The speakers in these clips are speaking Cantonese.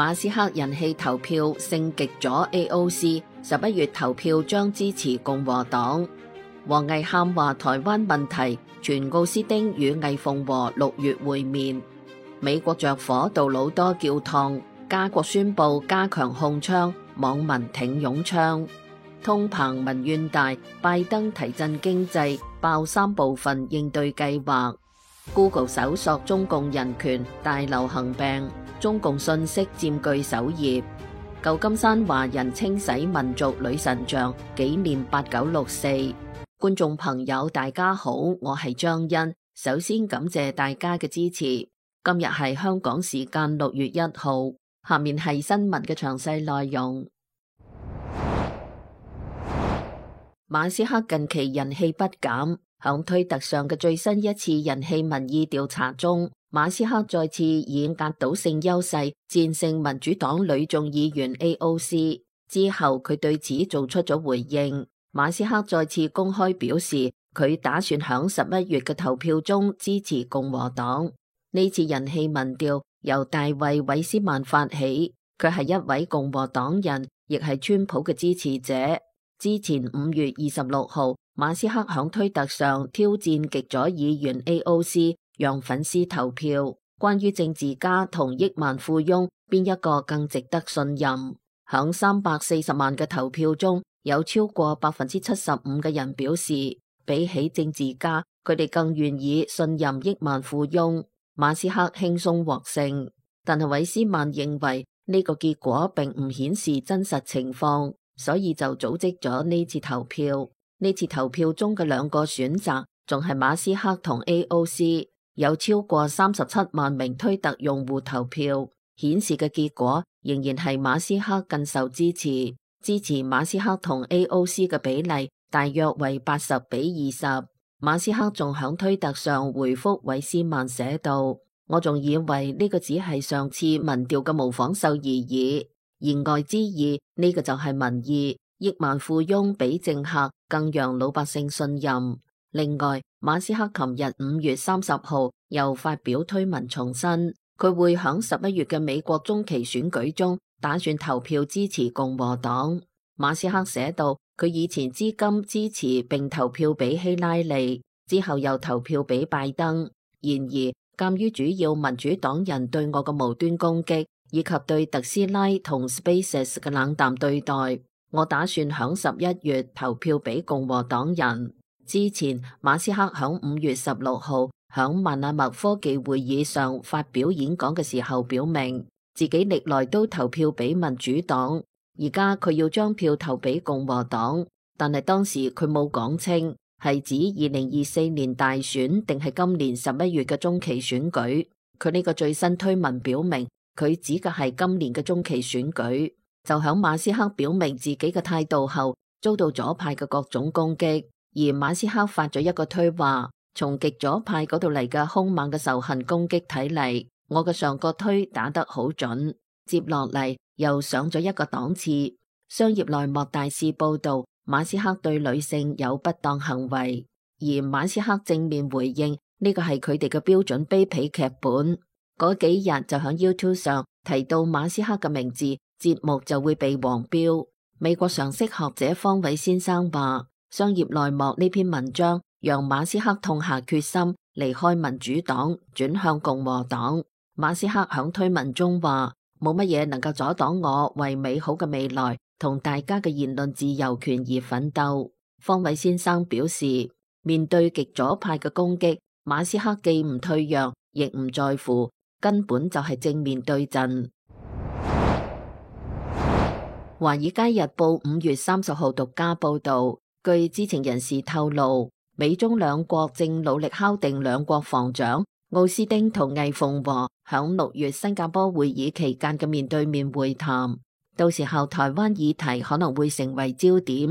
馬斯克人氣投票勝極咗 AOC， 11月投票將支持共和黨。王毅喊話台灣問題，傳奧斯汀與魏鳳和6月會面。美國着火杜魯多教堂，加國宣布加強控槍，網民挺擁槍。通膨民怨大，拜登提振經濟，爆3部分應對計劃。Google 搜索中共人權大流行病，中共信息佔據首頁。舊金山華人清洗民族女神像，紀念8964。觀眾朋友大家好，我係張欣，首先感謝大家嘅支持。今日係香港時間6月1號，下面係新聞嘅詳細內容。馬斯克近期人氣不減，響推特上嘅最新一次人氣民意調查中，馬斯克再次以壓倒性優勢戰勝民主黨女眾議員 AOC。之後佢對此做出咗回應。馬斯克再次公開表示，佢打算響11月嘅投票中支持共和黨。呢次人氣民調由大衛韋斯曼發起，佢係一位共和黨人，亦係川普嘅支持者。之前5月26號，馬斯克響推特上挑戰極左議員 AOC， 讓粉絲投票，關於政治家同億萬富翁邊一個更值得信任。響340萬嘅投票中，有超過75%嘅人表示，比起政治家，佢哋更願意信任億萬富翁。馬斯克輕鬆獲勝，但係韋斯曼認為呢個結果並唔顯示真實情況，所以就組織咗呢次投票。呢次投票中嘅2個選擇仲係馬斯克同 AOC， 有超過37萬名推特用戶投票，顯示嘅結果仍然係馬斯克更受支持。支持馬斯克同 AOC 嘅比例大約為80比20。馬斯克仲響推特上回覆韋斯曼寫道：我仲以為呢個只係上次民調嘅模仿秀而已，言外之意呢個就係民意，億萬富翁比政客更讓老百姓信任。另外，馬斯克琴日5月30號又發表推文重申，佢會響11月嘅美國中期選舉中打算投票支持共和黨。馬斯克寫道，佢以前至今支持並投票俾希拉里，之後又投票俾拜登。然而，鑒於主要民主黨人對我嘅無端攻擊，以及對特斯拉同 SpaceX 嘅冷淡對待，我打算響11月投票俾共和黨人。之前，馬斯克響5月16號響萬納默科技會議上發表演講嘅時候表明，自己歷來都投票俾民主黨，而家佢要將票投俾共和黨，但係當時佢冇講清係指2024年大選定係今年11月嘅中期選舉。佢呢個最新推文表明，佢指嘅係今年嘅中期選舉。就響馬斯克表明自己嘅態度後，遭到左派嘅各種攻擊，而馬斯克發咗一個推話，從極左派嗰度嚟嘅兇猛嘅仇恨攻擊睇嚟，我嘅上個推打得好準。接落嚟又上咗一個檔次。商業內幕大肆報道馬斯克對女性有不當行為，而馬斯克正面回應呢個係佢哋嘅標準卑鄙劇本。嗰幾日就響 YouTube 上提到馬斯克嘅名字，節目就會被黃標。美國常識學者方偉先生話，商業內幕呢篇文章讓馬斯克痛下決心離開民主黨，轉向共和黨。馬斯克響推文中話，冇乜嘢能夠阻擋我為美好嘅未來同大家嘅言論自由權而奮鬥。方偉先生表示，面對極左派嘅攻擊，馬斯克既唔退讓，亦唔在乎，根本就係正面對陣。華爾街日報5月30號獨家報道，據知情人士透露，美中兩國正努力敲定兩國防長奧斯汀同魏鳳和響6月新加坡會議期間嘅面對面會談，到時候台灣議題可能會成為焦點。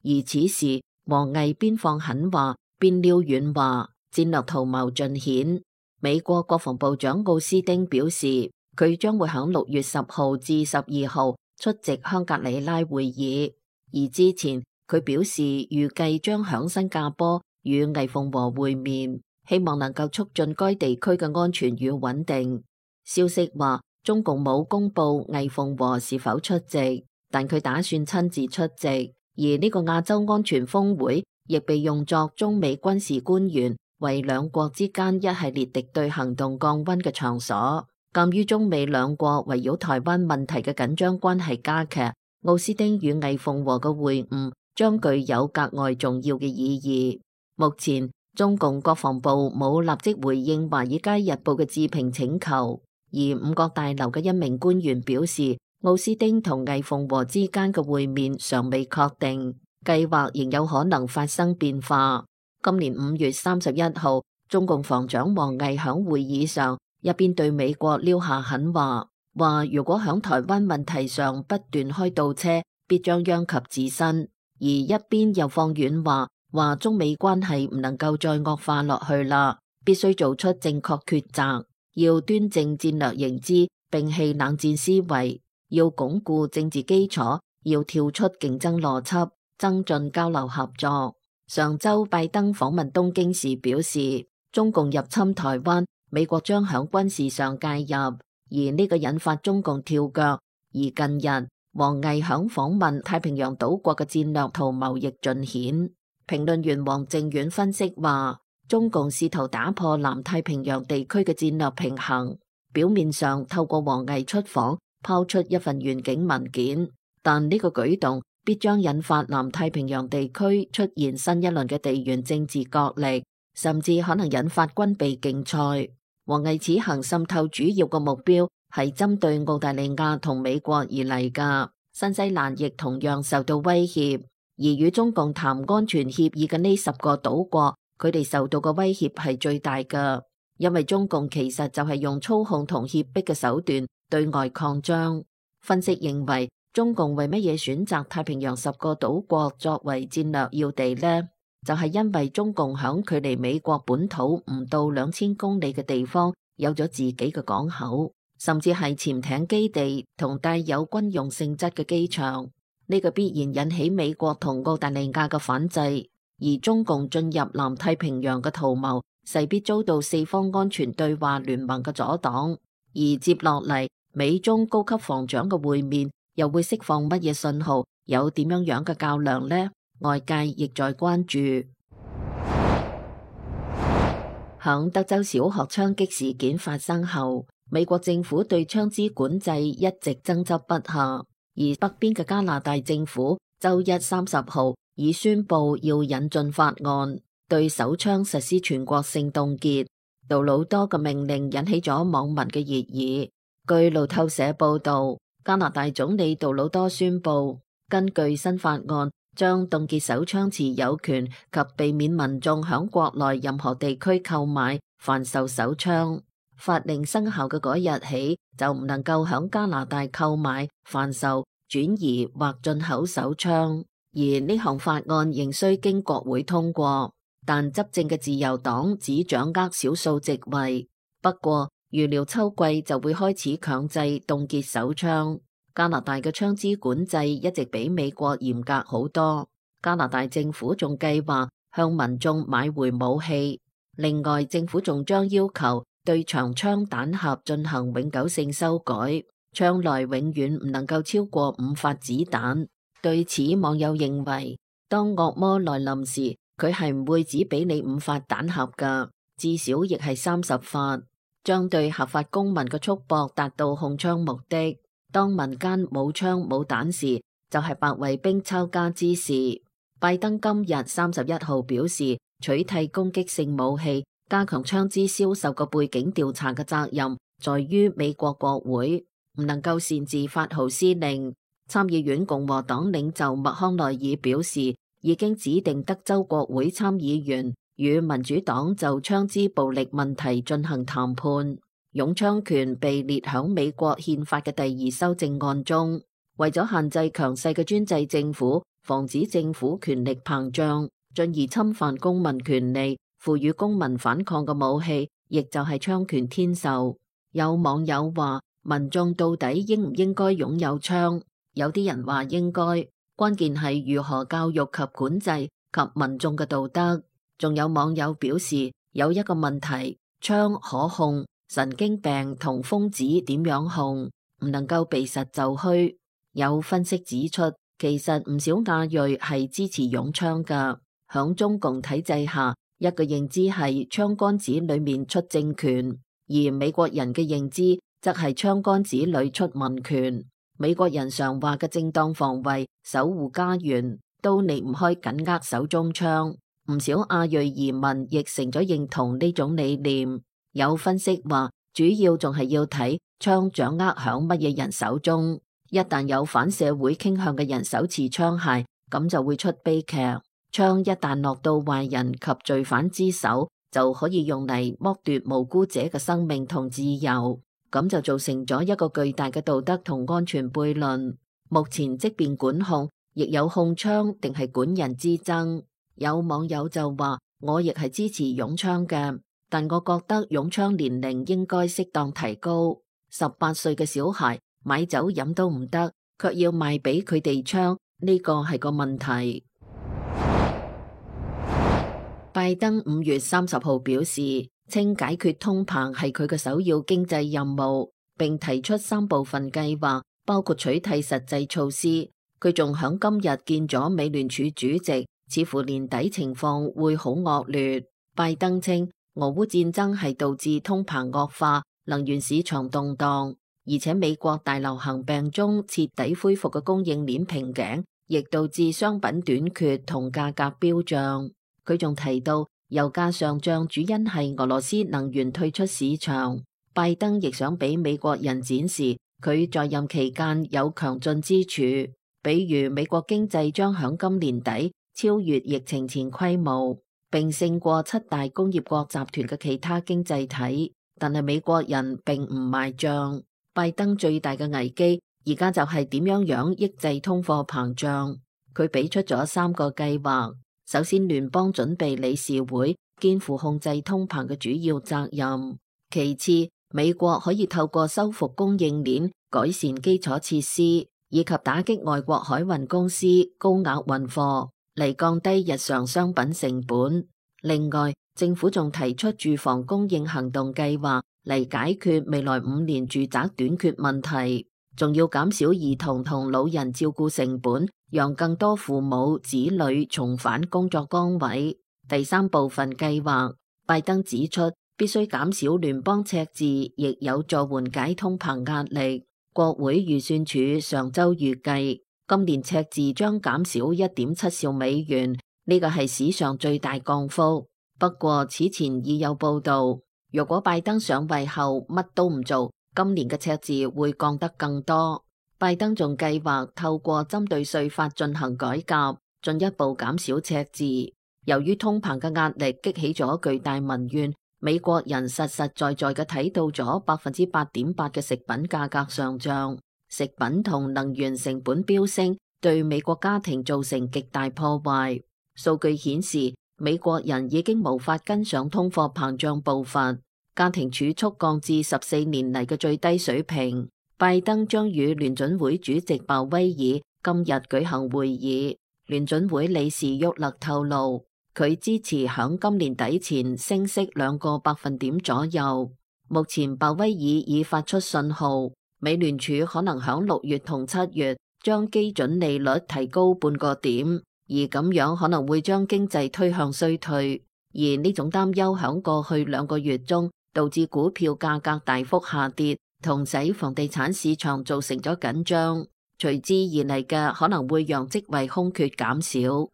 而此時，王毅邊放狠話邊撩軟話，戰略圖謀盡顯。美國國防部長奧斯汀表示，佢將會響6月10號至12號出席香格里拉會議，而之前佢表示預計將響新加坡與魏鳳和會面，希望能夠促進該地區嘅安全與穩定。消息話，中共冇公布魏鳳和是否出席，但佢打算親自出席。而呢個亞洲安全峰會亦被用作中美軍事官員為兩國之間一系列敵對行動降溫嘅場所。鑒於中美兩國圍繞台灣問題嘅緊張關係加劇，奧斯汀與魏鳳和嘅會晤將具有格外重要嘅意義。目前中共國防部冇立即回應《華爾街日報》嘅置評請求，而五角大樓嘅一名官員表示，奧斯汀同魏鳳和之間嘅會面尚未確定，計劃仍有可能發生變化。今年5月31號，中共防長王毅響會議上一邊對美國撂下狠話，話如果響台灣問題上不斷開倒車，必將殃及自身；而一邊又放軟話，話中美關係唔能夠再惡化落去啦，必須做出正確抉擇，要端正戰略認知，摒棄冷戰思維，要鞏固政治基礎，要跳出競爭邏輯，增進交流合作。上周拜登訪問東京時表示，中共入侵台灣，美國將響軍事上介入，而呢個引發中共跳腳。而近日，王毅響訪問太平洋島國嘅戰略圖謀亦盡顯。評論員王靖遠分析話，中共試圖打破南太平洋地區嘅戰略平衡，表面上透過王毅出訪拋出一份願景文件，但呢個舉動必將引發南太平洋地區出現新一輪嘅地緣政治角力，甚至可能引發軍備競賽。王毅此行滲透主要嘅目標係針對澳大利亞同美國而嚟㗎，新西蘭亦同樣受到威脅。而與中共談安全協議嘅呢10個島國，佢哋受到嘅威脅係最大嘅，因為中共其實就係用操控同脅迫嘅手段對外擴張。分析認為，中共為乜嘢選擇太平洋10個島國作為戰略要地呢？就係因為中共響距離美國本土唔到2000公里嘅地方有咗自己嘅港口，甚至係潛艇基地同帶有軍用性質嘅機場。呢個必然引起美國同澳大利亞嘅反制，而中共進入南太平洋嘅圖謀勢必遭到4方安全對話聯盟嘅阻擋。而接落嚟，美中高級防長嘅會面又會釋放乜嘢信號？有點樣嘅較量呢？外界亦在關注。響德州小學槍擊事件發生後，美國政府對槍支管制一直爭執不下，而北邊嘅加拿大政府周一30號已宣布要引進法案，對手槍實施全國性凍結。杜魯多嘅命令引起咗網民嘅熱議。據路透社報道，加拿大總理杜魯多宣布，根據新法案，將凍結手槍持有權及避免民眾響國內任何地區購買、販售手槍。法令生效嘅嗰日起，就唔能夠響加拿大購買、販售、轉移或進口手槍。而呢項法案仍需經國會通過，但執政嘅自由黨只掌握少數席位。不過，預料秋季就會開始強制凍結手槍。加拿大嘅槍支管制一直比美國嚴格好多。加拿大政府仲計劃向民眾買回武器。另外，政府仲將要求對長槍彈匣進行永久性修改，槍內永遠唔能夠超過5發子彈。對此，網友認為，當惡魔來臨時，佢係唔會只俾你5發彈匣㗎，至少亦係30發，將對合法公民嘅束縛達到控槍目的。當民間冇槍冇彈時，就係白衛兵抄家之時。拜登今日31號表示，取締攻擊性武器、加強槍支銷售嘅背景調查嘅責任在於美國國會，唔能夠擅自發號施令。參議院共和黨領袖麥康奈爾表示，已經指定德州國會參議員與民主黨就槍支暴力問題進行談判。擁槍權被列響美國憲法嘅第2修正案中，為咗限制強勢嘅專制政府，防止政府權力膨脹，進而侵犯公民權利，賦予公民反抗嘅武器，亦就係槍權天授。有網友話，民眾到底應唔應該擁有槍？有啲人話應該，關鍵係如何教育及管制及民眾嘅道德。仲有網友表示，有一個問題，槍可控，神經病同瘋子點樣控，唔能夠避實就虛。有分析指出，其實唔少亞裔係支持擁槍㗎。響中共體制下，一個認知係槍桿子裏面出政權，而美國人嘅認知則係槍桿子裏出民權。美國人常話嘅正當防衛、守護家園，都離唔開緊握手中槍。唔少亞裔移民亦成咗認同呢種理念。有分析話，主要仲係要睇槍掌握響乜嘢人手中。一旦有反社會傾向嘅人手持槍械，咁就會出悲劇。槍一旦落到壞人及罪犯之手，就可以用嚟剝奪無辜者嘅生命同自由。咁就造成咗一個巨大嘅道德同安全悖論。目前即便管控，亦有控槍定係管人之爭。有網友就話，我亦係支持擁槍嘅，但我覺得擁槍年齡應該適當提高。18歲嘅小孩買酒飲都唔得，卻要賣俾佢哋槍，呢個係個問題。拜登5月30號表示，稱解決通膨係佢嘅首要經濟任務，並提出3部分計劃，包括取締實際措施。佢仲響今日見咗美聯儲主席，似乎年底情況會好惡劣。拜登稱，俄烏戰爭係導致通膨惡化、能源市場動盪，而且美國大流行病中徹底恢復嘅供應鏈瓶頸，亦導致商品短缺同價格飆漲。佢仲提到，油價上漲主因係俄羅斯能源退出市場。拜登亦想俾美國人展示佢在任期間有強進之處，比如美國經濟將響今年底超越疫情前規模，並勝過7大工業國集團嘅其他經濟體。但係美國人並唔買賬。拜登最大嘅危機而家就係點樣抑制通貨膨脹。佢俾出咗3個計劃。首先，聯邦準備理事會肩負控制通膨嘅主要責任。其次，美國可以透過修復供應鏈、改善基礎設施以及打擊外國海運公司高額運貨嚟降低日常商品成本。另外，政府仲提出住房供應行動計劃嚟解決未來5年住宅短缺問題，仲要減少兒童同老人照顧成本，讓更多父母子女重返工作崗位。第3部分計劃，拜登指出必須減少聯邦赤字，亦有助緩解通膨壓力。國會預算署上週預計，今年赤字將減少 1.7 兆美元，呢個係史上最大降幅。不過此前已有報道，若果拜登上位後乜都唔做，今年嘅赤字會降得更多。拜登仲計劃透過針對稅法進行改革，進一步減少赤字。由於通膨嘅壓力激起咗巨大民怨，美國人實實在在嘅睇到咗 8.8% 嘅食品價格上漲，食品同能源成本飆升，對美國家庭造成極大破壞。數據顯示，美國人已經無法跟上通貨膨脹步伐，家庭儲蓄降至14年嚟嘅最低水平。拜登將與聯準會主席鮑威爾今日舉行會議。聯準會理事沃勒透露，佢支持響今年底前升息2個百分點左右。目前鮑威爾已發出信號，美聯儲可能響6月同7月將基準利率提高半個點，而咁樣可能會將經濟推向衰退。而呢種擔憂響過去2個月中導致股票價格大幅下跌，同使房地產市場造成咗緊張，隨之而嚟嘅可能會讓職位空缺減少。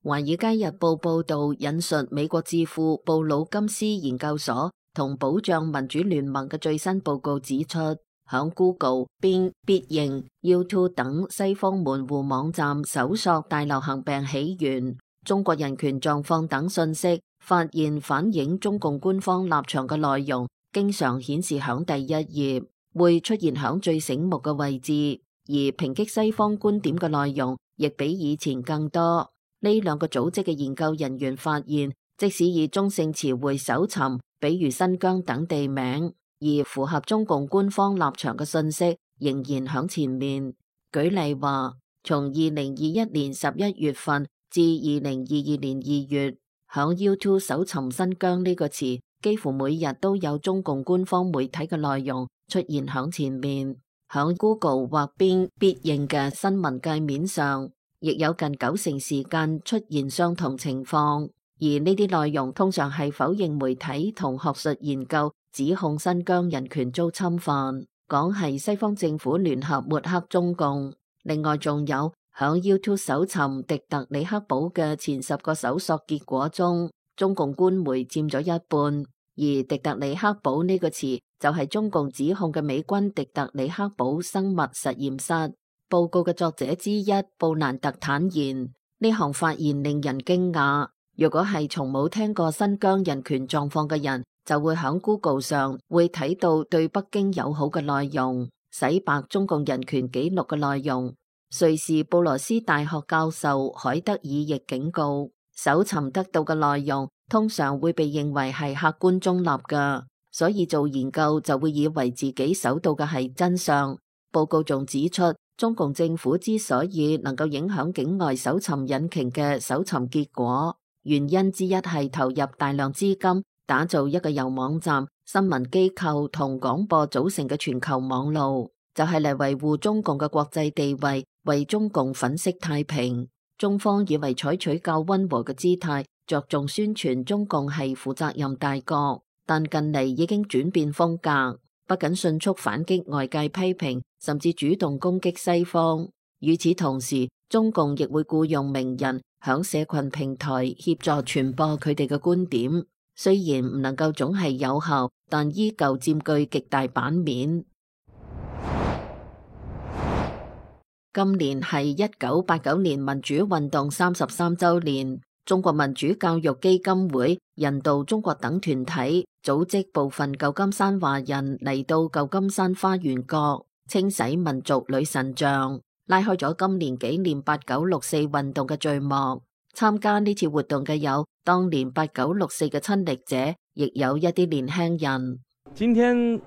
華爾街日報報道引述美國智庫布魯金斯研究所同保障民主聯盟嘅最新報告指出，響 Google、Bing、必應、YouTube 等西方門戶網站搜索大流行病起源、中國人權狀況等信息，發現反映中共官方立場嘅內容經常顯示響第1頁，會出現響最醒目嘅位置，而抨擊西方觀點嘅內容亦比以前更多。呢2個組織嘅研究人員發現，即使以中性詞彙搜尋，比如新疆等地名，而符合中共官方立場嘅信息仍然響前面。舉例話，從2021年11月份至2022年2月，響 YouTube 搜尋新疆呢個詞，幾乎每日都有中共官方媒體嘅內容出現響前面。響 Google 或邊必應嘅新聞界面上，亦有近90%時間出現相同情況。而呢啲內容通常係否認媒體同學術研究指控新疆人權遭侵犯，講係西方政府聯合抹黑中共。另外仲有響 YouTube 搜尋迪特里克堡嘅前10個搜索結果中，中共官媒佔咗一半。而迪特里克堡呢個詞就係中共指控嘅美軍迪特里克堡生物實驗室。報告嘅作者之一布蘭特坦言，呢項發現令人驚訝。如果係從冇聽過新疆人權狀況嘅人，就會響 Google 上會睇到對北京友好嘅內容，洗白中共人權紀錄嘅內容。瑞士布羅斯大學教授海德爾亦警告，搜尋得到嘅內容通常會被認為係客觀中立嘅，所以做研究就會以為自己搜到嘅係真相。報告仲指出，中共政府之所以能夠影響境外搜尋引擎嘅搜尋結果，原因之一係投入大量資金打造一個由網站、新聞機構同廣播組成嘅全球網路，就係嚟維護中共嘅國際地位，為中共粉飾太平。中方以為採取較溫和嘅姿態，着重宣傳中共係負責任大國，但近嚟已經轉變風格，不僅迅速反擊外界批評，甚至主動攻擊西方。與此同時，中共亦會僱用名人響社群平台協助傳播佢哋嘅觀點，雖然唔能夠總係有效，但依舊佔據極大版面。今年係1989年民主運動33週年，中國民主教育基金會、人道中國等團體組織部分舊金山華人嚟到舊金山花園閣清洗民族女神像，拉開咗今年紀念8964運動嘅序幕。參加呢次活動嘅有當年8964嘅親歷者，亦有一啲年輕人。今天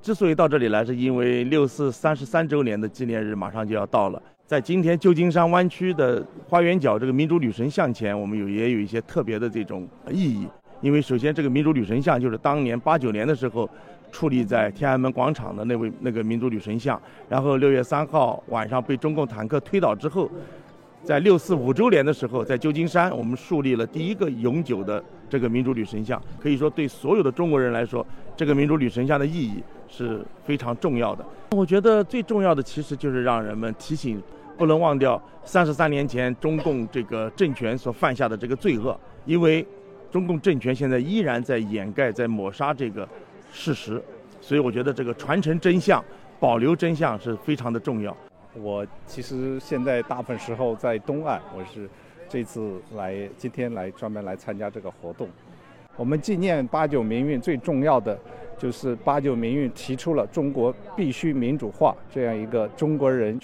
之所以到這裡來，是因為64 33週年的紀念日馬上就要到了。在今天舊金山灣區的花園角這個民主女神像前，我們也有一些特別的這種意義。因為首先這個民主女神像就是當年89年的時候矗立在天安門廣場的那個民主女神像，然後6月3號晚上被中共坦克推倒之後，在645週年的時候，在舊金山我們樹立了第一個永久的這個民主女神像。可以說對所有的中國人來說，這個民主女神像的意義是非常重要的。我覺得最重要的其實就是讓人們提醒，不能忘掉33年前中共這個政權所犯下的這個罪惡，因為中共政權現在依然在掩蓋、在抹殺這個事實，所以我覺得這個傳承真相、保留真相是非常的重要。我其實現在大部分時候在東岸，我是這次今天專門來參加這個活動。我們紀念89民運最重要的就是89民運提出了中國必須民主化這樣一個中國人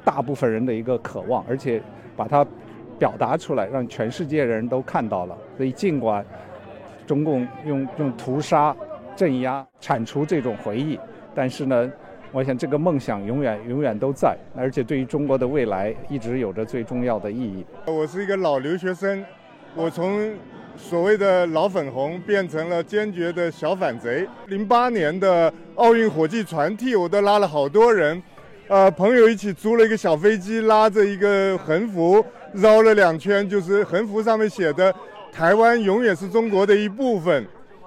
大部分人的一個渴望，而且把它表達出來，讓全世界人都看到了。所以儘管中共用屠殺、鎮壓鏟除這種回憶，但是呢，我想這個夢想永遠都在，而且對於中國的未來一直有着最重要的意義。我是一個老留學生，我從所謂的老粉紅變成了堅決的小反賊。08年的奧運火炬傳遞，我都拉了好多人，朋友一起租了一個小飛機，拉着一個橫幅繞了2圈，就是橫幅上面寫的台灣永遠是中國的一部分。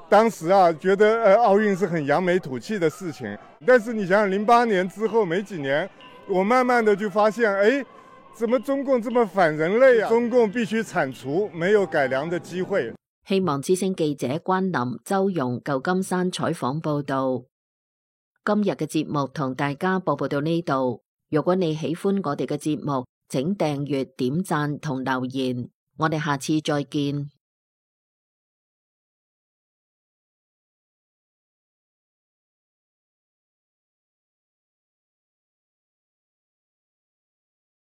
當時覺得奧運是很揚眉吐氣的事情，但是你想想08年之後沒幾年，我慢慢的就發現，怎麼中共這麼反人類啊？中共必須鏟除，沒有改良的機會。希望之聲記者關林、周蓉舊金山採訪報道。今日嘅節目同大家播報到呢度。如果你喜歡我哋嘅節目，請訂閱、點讚同留言。我哋下次再見。